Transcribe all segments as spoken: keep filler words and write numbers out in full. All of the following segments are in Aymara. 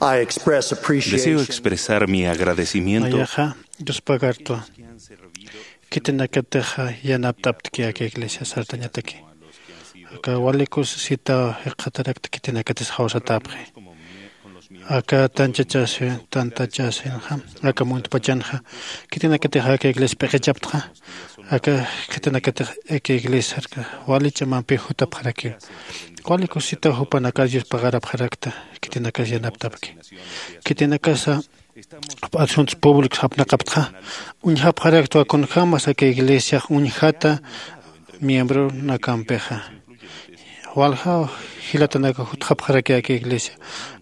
I express appreciation. Deseo expresar mi agradecimiento. Nayaxa yuspagartwa. Khitinakatixa yanapt'aptki aka iglesia sartañataki. Aka walikus sitaw jiqatarakta khitinakatis jawsatäpxi. Aka tanchachaswin tantachasinxa aka muntpachanxa khitinakatix aka iglesia p'iqichaptxa. Aka khitinakatix aka iglesia sarka wali ch'amampi jutapxarakiw. Walikus sitaw jupanakar yuspagarapxarakta. Khitinakas yanaptapki. Khitinakasa asuntos públicos apnaqaptxa uñjapxaraktwa kunjämas aka iglesiax uñjata miembronakampixa. Walja jilatanaka jutxapxaraki aka iglesia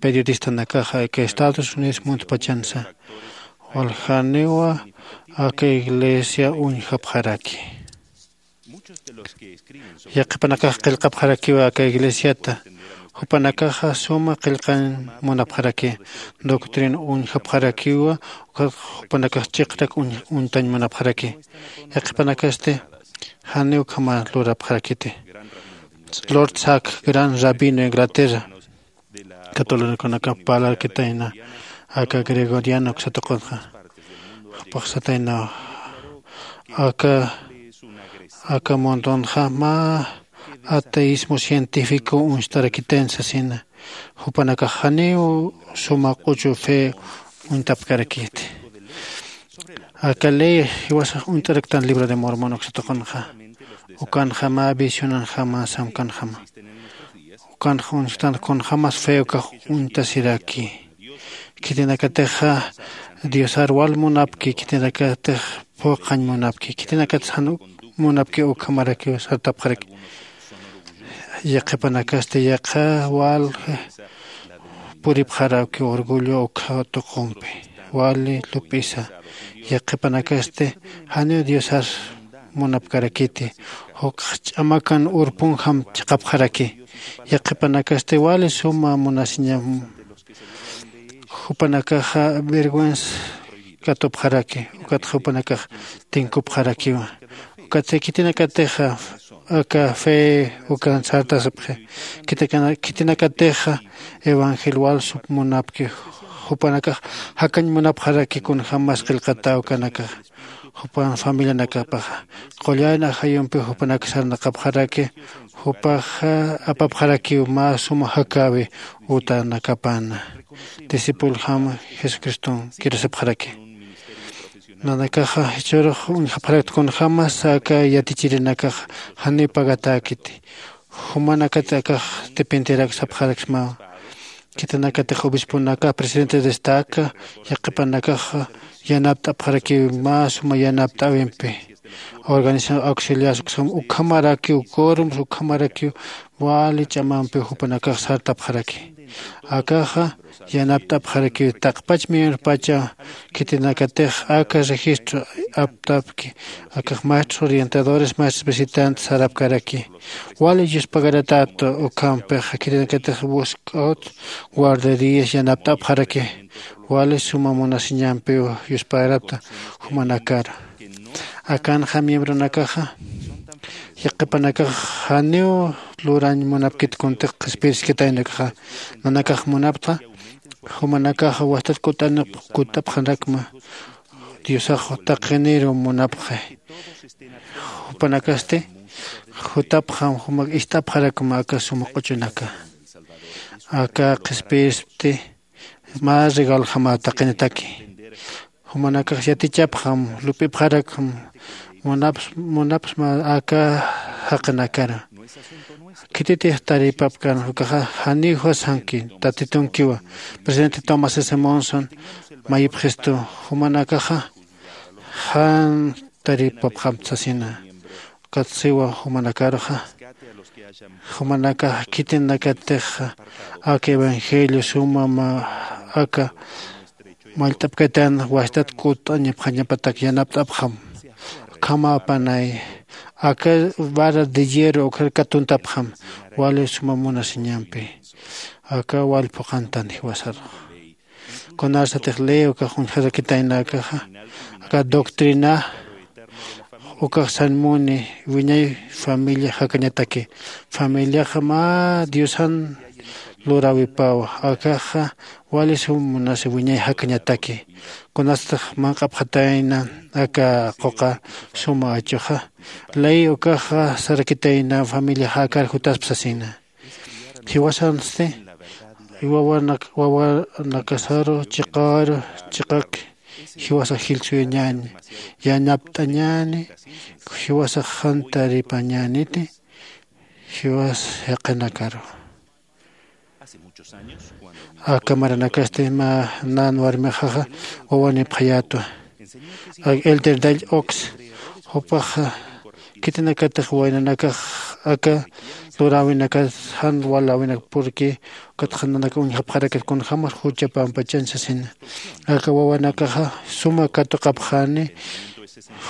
periodistanakaxa aka estados unidos muntpachansa waljaniwa aka iglesia uñjapxaraki. Yaqhipanakax qillqapxarakiwa aka iglesiata. Jupanakaxa suma qillqañ munapxaraki. Doctrina uñjapxarakiwa. Ukat jupanakax chiqrak uñtañ munapxaraki. Yaqhipanakasti janiw ukhama lurapxarakiti. Lord Sack gran rabino inglaterra catoliconakap parlarkitayna aka gregoriano uksatuqunxa. Jupaxsataynaw aka aka mundunxa mä ateismo científico uñstarakitayn sasina. Jupanakax janiw suma q'uchu fe uñtapkarakiti. Aka ley jiwasax uñt'araktan libro de mormon uksatuqunxa. Ukanxa mä visionanjama samkanjama. Ukanxa uñstan kunjämas fe ukax uñtasiraki. Khitinakatixa diosar wal munapki khitinakatix phuqhañ munapki khitinakatix jan munapki ukhamarakiw sartapxaraki. Yaqhipanakasti yaqha wal puripxarawki orgullo ukha tuqumpi wali lup'isa. Yaqhipanakasti janiw diosar munapkarakiti. Jukx ch'amakan urpunjam chiqapxaraki. Yaqhipanakasti wali suma munasiñam. Jupanakaxa vergüenza katupxaraki. Ukatxa jupanakax tinkupxarakiwa. Ukatsa khitinakatixa aka fe ukan sartasipxi. Khitinakatixa evangelio wal sup munapki. Jupanakax jakañ munapxaraki kunjämas qillqatäw ukanakaxa. Jupan familianakapaxa qullan ajayumpi jupanak sarnaqapxaraki. Jupaxa apapxarakiw mä suma jakäwi utanakapana. Discipuljam jesucriston kirasipxaraki. Nanakaxa jichhürux uñjapxarakta kunjämas aka yatichirinakaxa janiw pagatäkiti. Jumanakat akax dependierak sapxaraksmawa. Khitinakatix obisponakax presidente destaca yaqhipanakaxa yanapt'apxarakiw mä suma yanapt'äwimpi. Organización auxiliar ukhamarakiw quorums ukhamarakiw wali ch'amampiw jupanakax sartapxaraki. Akaxa yanapt'apxarakiw taqpach miembropacha khitinakatix aka registro aptapki. Akax maestros orientadores maestros visitantes sarapkaraki. Wali yuspagaratätu ukhampixa khitinakatix busk'awt guarderías yanapt'apxaraki. Wali suma munasiñampiw yuspagarapta jumanakar. Akanxa miembronakaxa yaqhipanakax janiw lurañ munapkit kuntix qhispiriskitaynakaxa. Nanakax munaptxa jumanakaxa wastat kutt'apxanakma. Diosax taqiniru munapxi. Jupanakasti jutapxam jumak ist'apxarakma aka suma q'uchunaka. Aka qhispispti mä regaljama taqinitaki. Jumanakax yatichapxam lup'ipxarakxam. Munapsma aka jaqinakara. Khititix taripapkan ukaxa janiw juwasanki tatitunkiwa. Presidente tomás s monson mayipxistu jumanakaxa jan taripapxam sasina. Ukat siwa jumanakaruxa jumanakax khitinakatixa aka evangelio suma aka mallt'apkatan wastat kutt'añapxañapatak yanapt'apxam. Ukhama apanay aka vara de hierro ukhar katuntapxam. Wali suma munasiñampi aka wal phuqhantan jiwasarux. Kunarsatix ley ukax uñjarakitaynakaxa aka doctrina ukax sanmuni wiñay familia jakañataki. Familiaxa mä diosan luräwipawa. Akaxa wali sum munasi wiñay jakañataki. Kunasatix manq'apxatayna aka quqa suma achuxa, ley ukaxa sarakitayna familiaxa akar jutaspa sasina. Jiwasansti wawanakasaru chiqaru chiqaki jiwasax jilsuyañäni, yanapt'añäni, jiwasax jantaripañäniti jiwas jaqinakaru. Aka maranakasti mä nan warmixaxa wawanipxayätwa. Elder dall ox jupaxa khitinakatix waynanakax aka luräwinakat jan waläwinak purki ukatxa nanaka uñjapxarakat kunjämas jucha pampachañ sasina. Aka wawanakaxa suma katuqapxani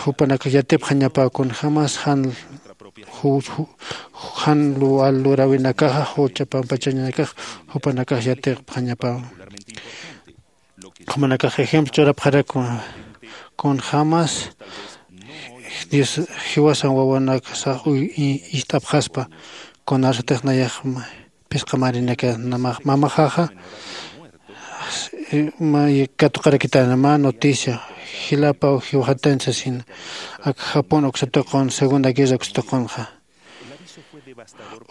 jupanakax yatipxañapäw kunjämas jan jan luräwinakaxa jucha pampachañanakax jupanakax yatipxañapäw. Jumanakax ejemplo churapxarakwa kunjämas dios jiwasan wawanakasax ist'apxaspa. Kunasatix nayax phisqa marinaka mamaxaxa katuqarakitana mä noticia jilapaw jiwxatañ sasina. Ak japón uksa tuqun segunda guerra uksa tuqunxa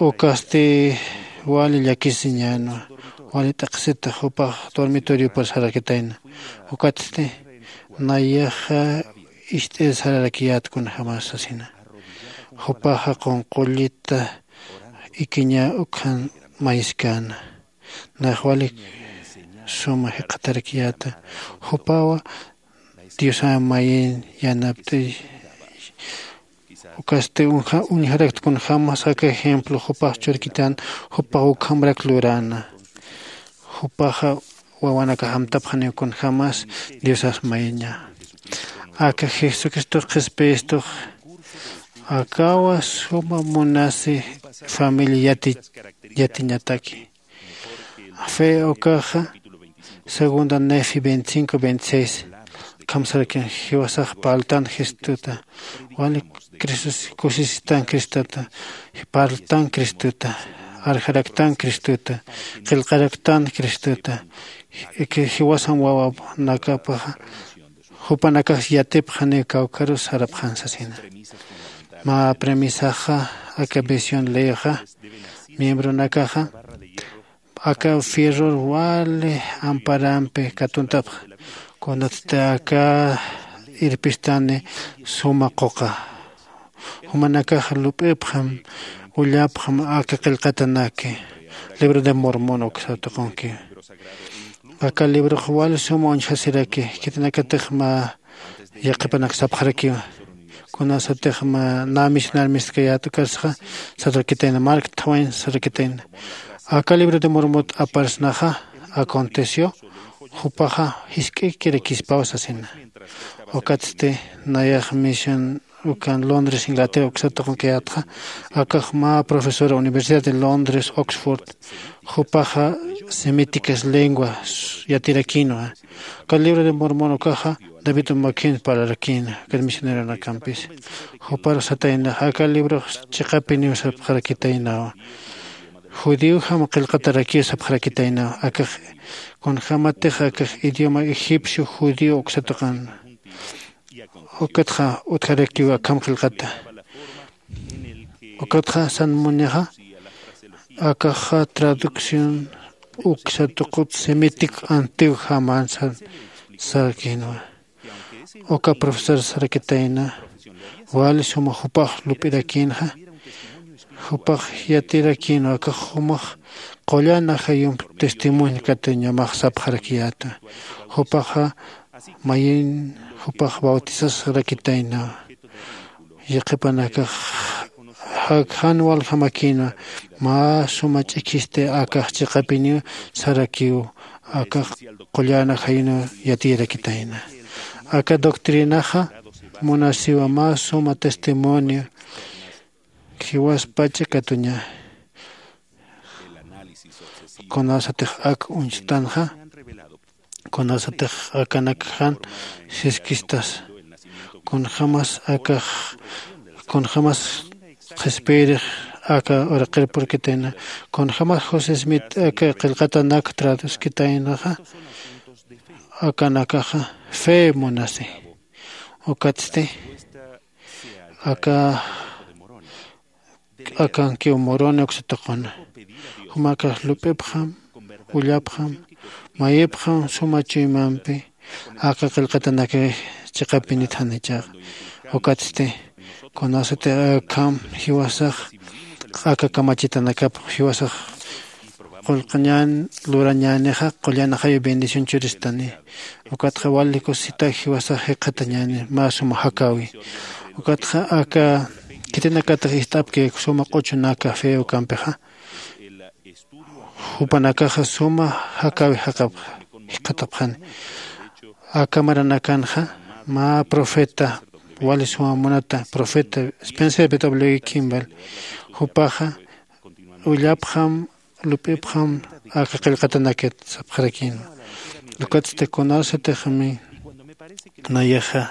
ukasti wali llakisiñänwa. Wali t'aqhisita jupax dormitoriopar sarakitayna. Ukatsti nayaxa ist'ir sararakiyät kunjämas sasina. Jupaxa qunqullita ikiña ukhan mayiskäna. Nax wali suma jikxatarakiyäta jupawa diosan mayin yanapt'ay. Ukasti uñjarakta kunjämas aka ejemplo jupax churkitan jupax ukhamrak luräna. Jupaxa wawanakax amtapxaniw kunjämas diosas mayiña. Aka jesucristox qhispistux akawa suma munasi familia yatiñataki. Fe ukaxa segunda nefi veinticinco veintiséis kamsarakin jiwasax parltan jesustuta wali kusistan cristota parltan cristota arjaraktan cristota qillqaraktan cristota. Jiwasan wawanakapaxa jupanakax yatipxaniw kawkharus sarapxan sasina. Mä premisaxa aka visión leyoxa miembronakaxa aka fierror wali amparampi katuntapxa. Kunatsti aka irpistani suma quqa jumanakax lup'ipxam ullapxam aka qillqatanaki libro de mormón uksa tuqunkiw. Aka librox wali suma uñjasiraki khitinakatix mä yaqhipanak sapxarakiwa. Kunasatix mä nä misionar mistkayät ukasxa sarakitayna mark twain sarakitayna aka libro de mormot aparsnaxa aconteció jupaxa jisk'ikirakispaw sasina. Ukatsti nayax mision ukan londres inglaterra uksa tuqunkayätxa akax mä profesora universidad de londres oxford jupaxa semíticas lengua yatirakïnwa. Aka libro de mormón ukaxa david umakhin parlarakïna aka misioneronakampis. Jupar sataynax aka librox chiqapiniw sapxarakitaynawa. Judío jama qillqatarakiw sapxarakitaynawa akax kunjämatix akax idioma egipcio judío uksa tuqan. Ukatxa utjarakiw akham qillqata. Ukatxa san munixa akaxa traducción uksa tuqut semític antiw jaman san sarakïnwa. Uka profesor sarakitayna wali suma jupax lup'irakïnxa jupax yatirakïnwa akax jumax qullan ajayump testimonio katuñamax sapxarakiyäta. Jupaxa mayin jupax bautizasarakitaynawa. Yaqhipanakax jan waljamakïnwa mä suma ch'ikhisti akax chiqapiniw sarakiw akax qullan ajayunw yatiyarakitayna. Aka doctrinaxa munasiwa mä suma testimonio jiwaspach'a katuña. Kunasatix ak uñstanxa kunasatix akanak jan siskistas kunjämas akax kunjämas qhispiyirix aka uraqir purkitayna. Kunjämas josé smith aka qillqatanak traduskitaynaxa, akanakaxa fe munasi. Ukatsti aka akankiw muruni uksataquna. Jumakax lup'ipxam, ullapxam, mayipxam suma chuymampi aka qillqatanakix chiqapinit janichaxa. Ukatsti kunasatix akham jiwasax aka kamachitanakap jiwasax qullqañän lurañänixa qullan ajayu bendición churistani. Ukatxa wali kusisitak jiwasax jikxatañäni mä suma jakäwi. Ukatxa aka khitinakatix ist'apki suma q'uchunaka fe ukampixa, jupanakaxa suma jakäwi jaqapxa jikxatapxani. Aka maranakanxa mä profeta wali suma munata profeta spencer w kimball jupaxa ullapxam lup'ipxam aka qillqatanakit sapxarakïnwa. Ukatsti kunasatixmi nayaxa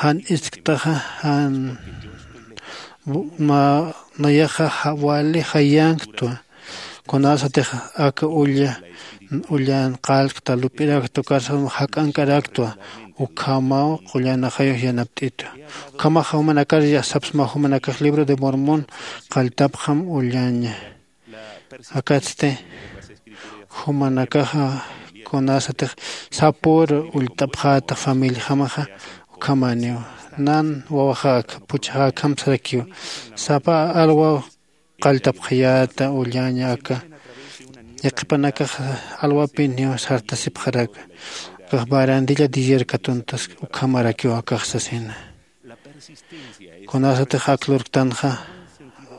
jan istktaxa jan nayaxa wali jayänktwa. Kunasatix aka ulla ullan qallqta lup'irakta ukarsax jak'ank'araktwa. Ukhamaw qullan ajayux yanapt'itwa. Ukhamaxa jumanakar sapsmaw jumanakax libro de mormón qalltapxam ullaña. Akatsti jumanakaxa kunasatix sapüru ullt'apxäta familiajamaxa ukhamäniw. Nan wawaxäk puchaxäkham sarakiw sapa alwaw qalltapxayäta ullaña aka yaqhipanakax alwapiniw sartasipxaraka. Akax barandilla diller katuntas ukhamarakiw akax sasina. Kunasatix ak lurktanxa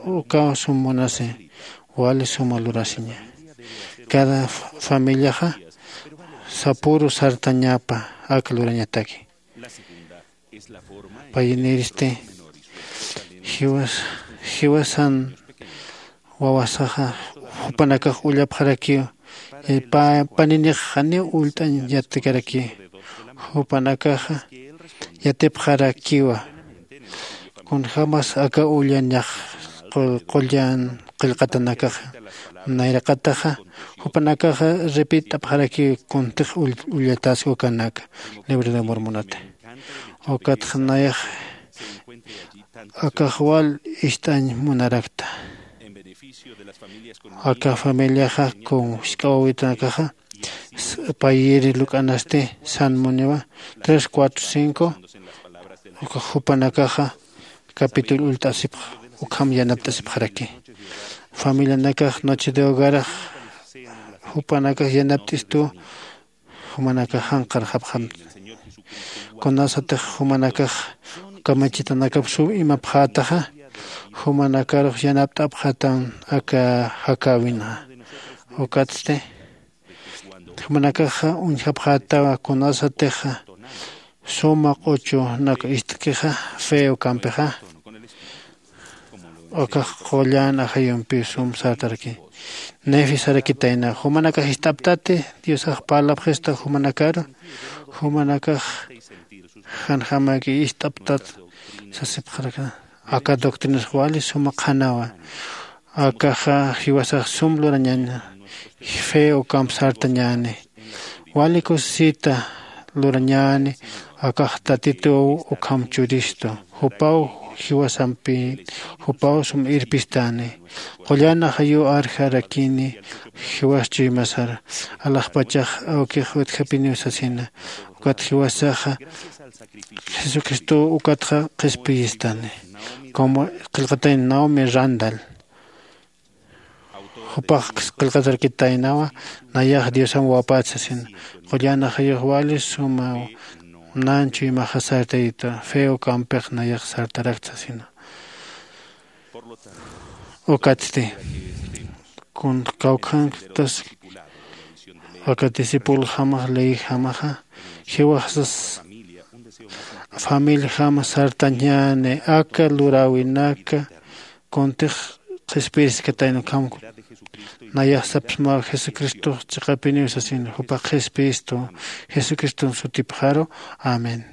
ukaw sum munasi wali suma lurasiña. Cada familiaxa sapüru sartañapa ak lurañataki. Payiniristi jiwas jiwasan wawasaxa jupanakax ullapxarakiw paninix janiw ullt'añ yatikaraki. Jupanakaxa yatipxarakiwa kunjämas aka ullañax qullan qillqatanakaxa. Nayraqataxa jupanakaxa repit'apxarakiw kuntix ullatäski ukanaka libro de mormonata. Ukatxa nayax akax wal ist'añ munarakta. Aka familiaxa kun jisk'a wawitanakaxa payiri luk'anasti san muniwa tres cuatro cinco. Ukax jupanakaxa capítulo ullt'asipxa ukham yanapt'asipxaraki. Familianakax noche de hogarax jupanakax yanapt'istuw jumanakax janqarxapxamti. Kunasatix jumanakax kamachitanakap sum imapxätaxa jumanakarux yanapt'apxätan aka jakäwinxa. Ukatsti jumanakaxa uñjapxätawa kunasatixa suma q'uchunak ist'kixa fe ukampixa. Akax qullan ajayumpiw sum sartaraki. Nefi sarakitayna jumanakax ist'aptati diosax parlapxista jumanakaru jumanakax janjamaki ist'aptat sasipxaraka. Aka doctrinas wali suma qhanawa. Akaxa jiwasax sum lurañaña fe ukamp sartañäni. Wali kusisita lurañäni. Akax tatituw ukham churistu jupaw jiwasampi jupaw sum irpistani. Qullan ajayuw arjarakini jiwas chuymasar alaxpachax awkix utjapiniw sasina. Ukat jiwasaxa jesucristow ukatxa qhispiyistani. Como qillqatay naomi randal jupax qillqatarkitaynawa nayax diosam wapät sasina. Qullan ajayux wali sumaw nan chuymaxa sartayitwa fe ukampix nayax sartarakt sasina. Ukatsti kun kawkhantas aka discipuljamax leyjamaxa jiwaxsas familijama sartañäni aka luräwinaka kuntix qhispiriskatayna ukhamku. Nayax sapsmaw jesucristox chiqapiniw sasina jupax qhispiristu jesucriston sutipxaru. Amén.